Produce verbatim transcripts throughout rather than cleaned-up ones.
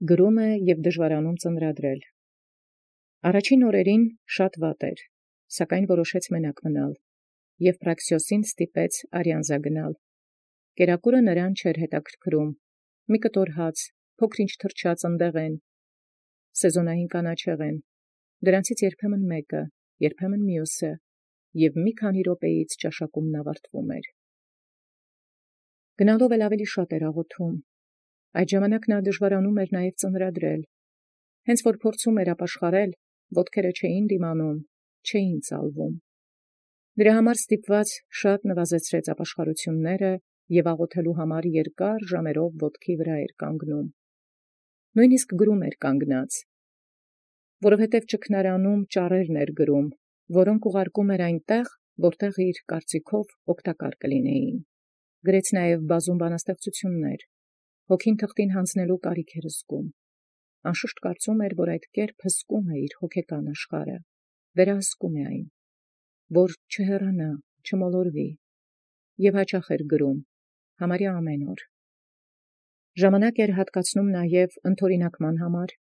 գրում է և դժվարանում ծնրադրել։ Առաջին օրերին շատ վատ էր, սակայն որոշեց մենակ մնալ, և Պրաքսիոսին ստիպեց Արիանզա գնալ։ Կերակուրը նրան չէր հետաքրքրում, մի կտոր հաց, փոքր-ինչ թրջած ընդեղեն, սեզոնային կանաչեղեն, դրանցից երբեմն մեկը, երբեմն մյուսը, և մի քանի րոպեից ճաշակումն ավարտվում էր։ Գնալով էլ ավելի շատ էր աղոթում։ Այդ ժամանակ նա դժվարանում էր նաև ծնրադրել։ Հենց որ փորձում էր ապաշխարել, ոտքերը չէին դիմանում, չէին ծալվում։ Դրա համար ստիպված շատ նվազեցրեց ապաշխարությունները և աղոթելու համար երկար ժամերով ոտքի վրա էր կանգնում։ Նույնիսկ գրում էր կանգնած, որովհետև ճգնարանում ճառերն էր գրում, որոնք ուղարկում էր այնտեղ, որտեղ իր կարծիքով օգտակար կլինեին։ Գրեց նաև բազում բանաստեղծություններ, հոգին թղթին հանձնելու կարիք էր զգում։ Անշուշտ կարծում էր, որ այդ կերպ հսկում է իր հոգեկան աշխարհը, վերահսկում է այն, որ չհեռանա, չմոլորվի, և հաճախ էր գրում, համարյա ամեն օր։ Ժամանակ էր հատկացնում նաև ընթորինակման համար։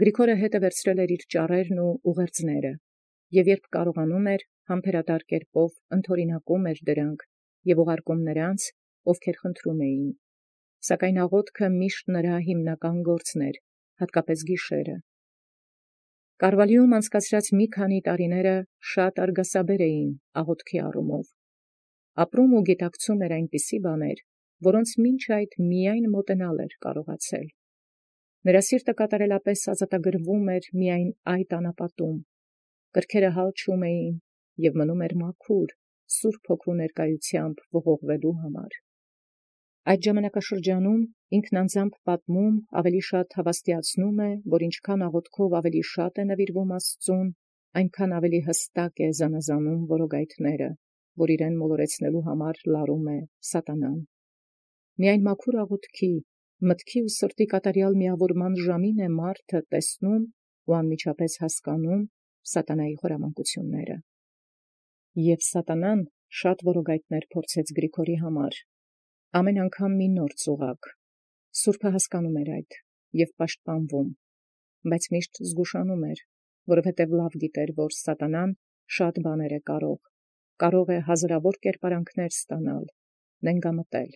Գրիգորը հետը վերցրել էր իր ճառերն ու ուղերձները, և երբ կարողանում էր, համբերատար կերպով ընթորինակում էր դրանք և ուղարկում նրանց, ովքեր խնդրում էին, սակայն աղոթքը միշտ նրա հիմնական գործն էր, հատկապես գիշերը։ Կարվալիում անցկացրած մի քանի տարիները շատ արգասաբեր էին աղոթքի առումով։ Ապրում ու գիտակցում էր այնպիսի բաներ, որոնց մինչ այդ միայն մոտենալ էր կարողացել։ Նրա սիրտը կատարելապես ազատագրվում էր միայն այդ անապատում, կրքերը հալչում էին և մնում էր մաքուր, Սուրբ Հոգու ներկայությամբ ողողվելու համար։ Այդ ժամանակաշրջանում ինքն անձամբ պատմում ավելի շատ հավաստիացնում է, որ ինչքան աղոթքով ավելի շատ է նվիրվում Աստծուն, այնքան ավելի հստակ է զանազանում որոգայթները, որ իրեն մոլորեցնելու համար լարում է սատանան։ Միայն մաքուր աղոթքի, մտքի ու սրտի կատարյալ միավորման ժամին է մարդը տեսնում ու անմիջապես հասկանում սատանայի խորամանկությունները։ Եվ սատանան շատ որոգայթներ փորձեց Գրիգորի համար, ամեն անգամ մի նոր ծուղակ։ Սուրբը հասկանում էր այդ և պաշտպանվում, բայց միշտ զգուշանում էր, որովհետև լավ գիտեր, որ սատանան շատ բաներ է կարող, կարող է հազարավոր կերպարանքներ ստանալ, նենգամտել։